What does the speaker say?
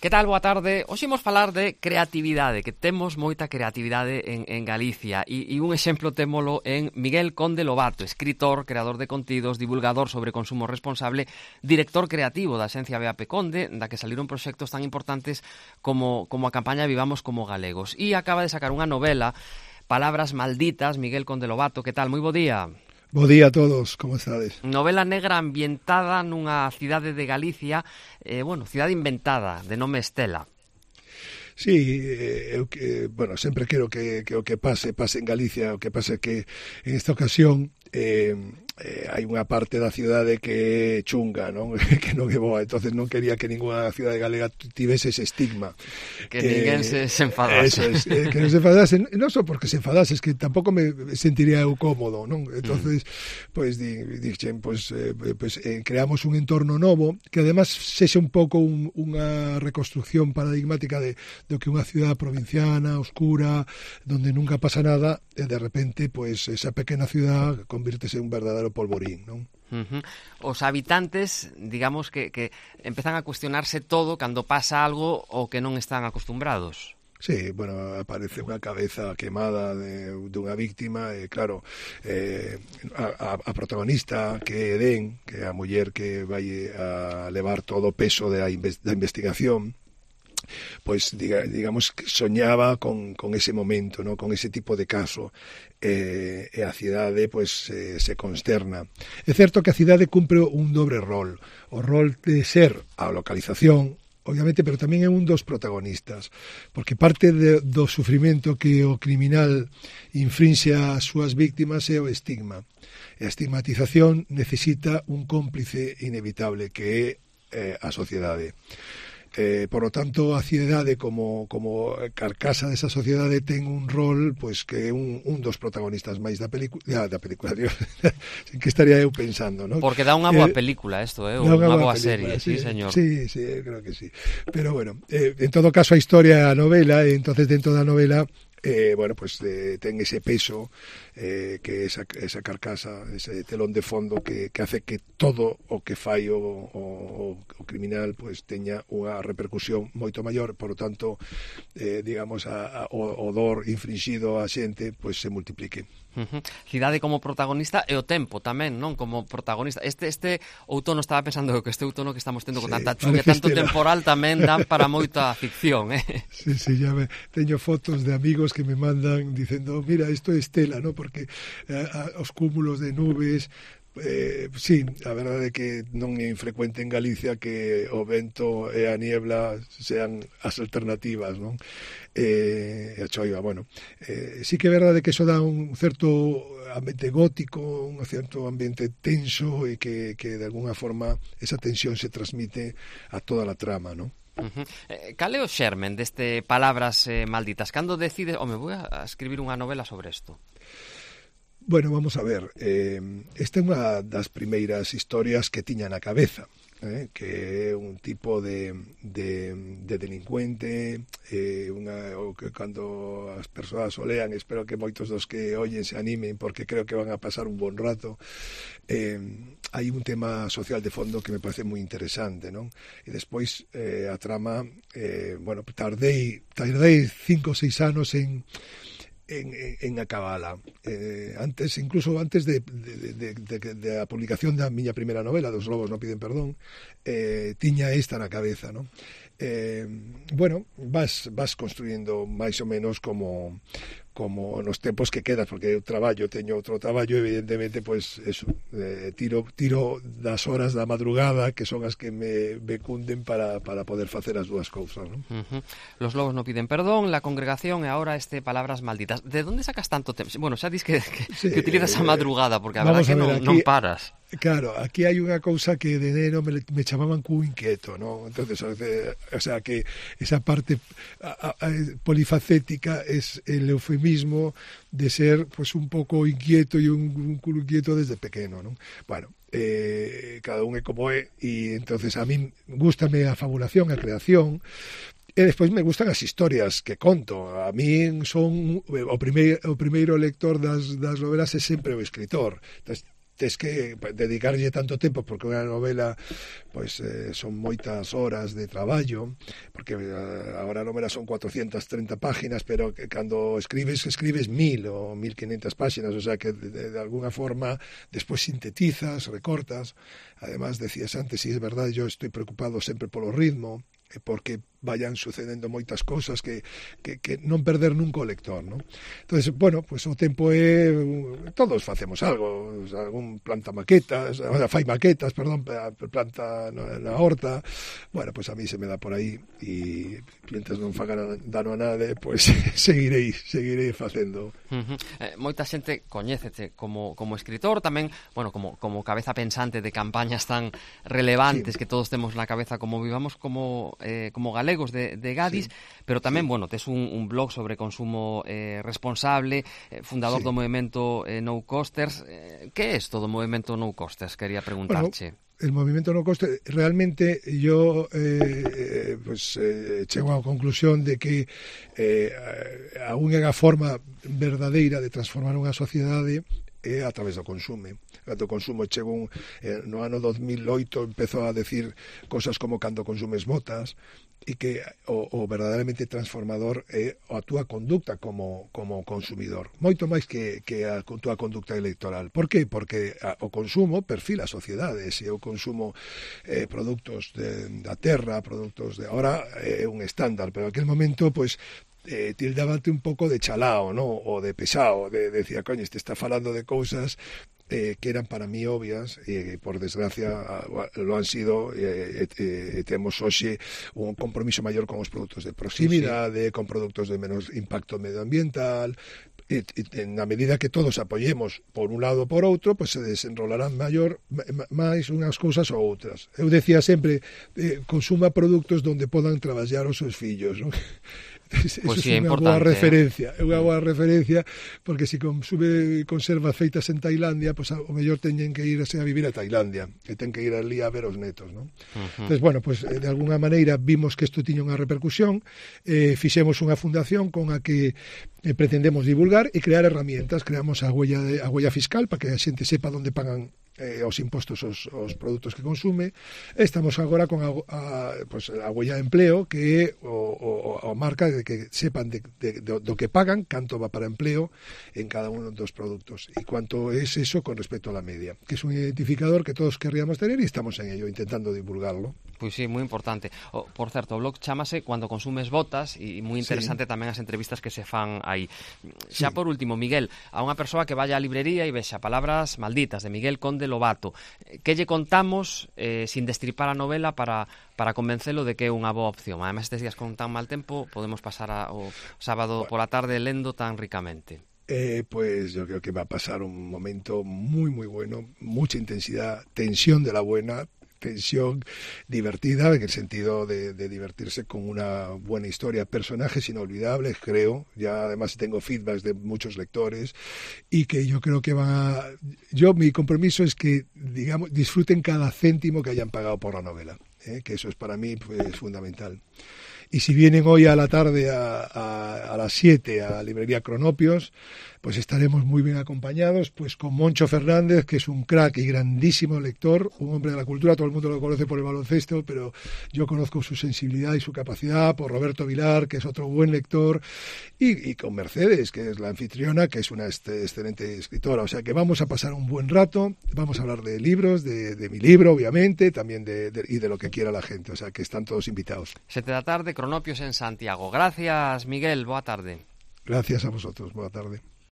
Que tal? Boa tarde. Hoxe imos falar de creatividade, que temos moita creatividade en Galicia e un exemplo témolo en Miguel Conde Lobato, escritor, creador de contidos, divulgador sobre consumo responsable, director creativo da Axencia BAP Conde, da que saliron proxectos tan importantes como a campaña Vivamos como Galegos. E acaba de sacar unha novela, Palabras malditas, Miguel Conde Lobato. Que tal? Moi bo día. Bo día a todos, como estades? Novela negra ambientada nunha cidade de Galicia, cidade inventada, de nome Estela. Sí, sempre quero que o que pase en Galicia, o que pase que en esta ocasión hai unha parte da cidade que é chunga, non? Que non é boa, entonces non quería que ninguna cidade galega tivese ese estigma. Que ninguén se enfadase. Eso es, que non se enfadase, non só porque se enfadase, es que tampouco me sentiría eu cómodo, non? Entonces, dixen, creamos un entorno novo, que además sexa un pouco unha reconstrucción paradigmática do que unha cidade provinciana, oscura, donde nunca pasa nada, e de repente, esa pequena cidade convírtese en un verdadero polvorín, non? Os habitantes, digamos que empezan a cuestionarse todo cando pasa algo o que non están acostumbrados. Sí, aparece unha cabeza quemada dunha víctima e claro, a protagonista que é Edén, que é a muller que vai a levar todo o peso da investigación, digamos que soñaba con ese momento, ¿no? Con ese tipo de caso, e a cidade se consterna. É certo que a cidade cumpre un dobre rol, o rol de ser a localización, obviamente, pero tamén é un dos protagonistas, porque parte do sufrimento que o criminal infrinxe ás súas víctimas é o estigma. E a estigmatización necesita un cómplice inevitable que é a sociedade. Por lo tanto, a cidade como carcasa desa sociedade ten un rol que é un dos protagonistas máis da película, Dios, en que estaría eu pensando, ¿no? Porque dá unha boa película isto, unha boa serie, sí, señor. Sí, creo que sí. Pero bueno, en todo caso a historia é a novela, e entonces dentro da novela ten ese peso, que esa carcasa, ese telón de fondo que hace que todo o que fai o criminal teña unha repercusión moito maior, por lo tanto, digamos, o dor infringido á xente se multiplique. Cidade como protagonista e o tempo tamén, non? Como protagonista. Este outono, estaba pensando que este outono que estamos tendo con tanta chuvia, tanto temporal, tamén dan para moita ficción, Sí, ya teño fotos de amigos que me mandan dicendo, mira, isto é Estela, ¿no? Porque os cúmulos de nubes, sí, a verdade é que non é infrecuente en Galicia que o vento e a niebla sean as alternativas, non? E a choiva, sí que é verdade que iso dá un certo ambiente gótico, un certo ambiente tenso, e que de alguna forma esa tensión se transmite a toda a trama, non? Cal é o xermen deste Palabras malditas? Cando decides, vou a escribir unha novela sobre isto? Bueno, vamos a ver, esta é unha das primeiras historias que tiña na cabeza, que é un tipo de delincuente, o que cando as persoas o lean, espero que moitos dos que ollen se animen, porque creo que van a pasar un bon rato. Hai un tema social de fondo que me parece moi interesante, non? E despois a trama, tardei 5 ou 6 anos en acabala. Incluso antes de a publicación da miña primeira novela, Dos lobos non piden perdón, tiña esta na cabeza, non? Vas construindo máis ou menos como nos tempos que quedas, porque eu teño outro traballo, evidentemente, tiro das horas da madrugada, que son as que me cunden para poder facer as dúas cousas, non? Los lobos non piden perdón, La congregación e agora Palabras malditas. De onde sacas tanto tempo? Bueno, xa dis que utilizas a madrugada, porque a verdade que non paras. Claro, aquí hai unha cousa que de neno me chamaban cu inquieto, ¿no? Entonces, o sea, que esa parte polifacética es el eufemismo de ser un pouco inquieto e un culo inquieto desde pequeno, ¿no? Bueno, cada un é como é, e entonces a min gústame a fabulación, a creación, e despois me gustan as historias que conto. A min son o primeiro lector das novelas é sempre o escritor. Entonces, tes que dedicarlle tanto tempo, porque unha novela pois son moitas horas de traballo, porque agora a novela son 430 páginas, pero que cando escribes 1000 ou 1500 páginas, o sea que de alguna forma despois sintetizas, recortas. Además, decías antes, si es verdade, yo estoy preocupado sempre polo ritmo, porque vayan sucedendo moitas cousas que non perder nunca o lector, ¿no? Entonces, bueno, pues o tempo é todos facemos algo, o sea, algún planta maquetas, o sea, fai maquetas, perdón, planta na horta. Bueno, pues a mí se me dá por aí e mientras non faga dano a nade, pues seguirei facendo. Moita xente coñécete como escritor, tamén, bueno, como cabeza pensante de campañas tan relevantes, sí, que todos temos na cabeza como vivamos como galegos de Gadis, sí, pero tamén, sí, bueno, tes un blog sobre consumo responsable, fundador, sí, do movimento No Costers. Que é isto do movimento No Costers? Quería preguntarche. Bueno, el movimento no coste, realmente yo chego á conclusión de que a única forma verdadeira de transformar unha sociedade é a través do consumo. Cando consumo chego no ano 2008 empezou a decir cosas como cando consumes botas, e que o verdadeiramente transformador é a túa conducta como consumidor, moito máis que a túa conducta electoral. Por qué? Porque o consumo perfila a sociedade. Se eu consumo produtos da terra, produtos de ahora é un estándar, pero en aquel momento, pues tildábate un pouco de chalao, ¿no? O de pesado, decía, coño, este está falando de cousas que eran para mí obvias, e por desgracia lo han sido. Temos hoxe un compromiso maior con os produtos de proximidade, sí, con produtos de menos impacto medioambiental. Na medida que todos apoyemos por un lado ou por outro, pues se desenrolarán máis unhas cousas ou outras. Eu decía sempre, consuma produtos donde podan traballar os seus fillos, ¿no? Eso pues sí, é unha boa referencia, é unha boa referencia, porque se consume conservas feitas en Tailandia, pues o mellor teñen que irse a vivir a Tailandia, e ten que ir ali a ver os netos, ¿no? Entonces, bueno, pues de alguna maneira vimos que isto tiña unha repercusión, fixemos unha fundación con a que pretendemos divulgar e crear herramientas. Creamos a huella fiscal para que a xente sepa onde pagan os impostos os produtos que consume. Estamos agora con a huella de empleo, que é a marca de que sepan do que pagan, canto va para empleo en cada uno dos produtos e cuánto es eso con respecto a la media, que es un identificador que todos querríamos tener e estamos en ello, intentando divulgarlo. Pois sí, moi importante. Por certo, o blog chámase Cuando consumes botas, e moi interesante, sí, tamén as entrevistas que se fan aí. Xa, sí, por último, Miguel, a unha persoa que vaya á librería e vexa Palabras malditas de Miguel Conde Lobato, que lle contamos sin destripar a novela para convencelo de que é unha boa opción? Además, estes días con tan mal tempo podemos pasar o sábado pola tarde lendo tan ricamente. Pues yo creo que va a pasar un momento muy muy bueno, mucha intensidad, tensión de la buena, tensión divertida, en el sentido de divertirse con una buena historia, personajes inolvidables, creo. Ya además tengo feedbacks de muchos lectores y que yo creo que mi compromiso es que, digamos, disfruten cada céntimo que hayan pagado por la novela, que eso es para mí pues fundamental. Y si vienen hoy a la tarde a las 7 a la librería Cronopios, pues estaremos muy bien acompañados, pues con Moncho Fernández, que es un crack y grandísimo lector, un hombre de la cultura. Todo el mundo lo conoce por el baloncesto, pero yo conozco su sensibilidad y su capacidad, por Roberto Vilar, que es otro buen lector, y con Mercedes, que es la anfitriona, que es una excelente escritora. O sea que vamos a pasar un buen rato, vamos a hablar de libros, de mi libro, obviamente, también y de lo que quiera la gente. O sea que están todos invitados. 7 da tarde, Cronopios en Santiago. Gracias, Miguel. Boa tarde. Gracias a vosotros. Boa tarde.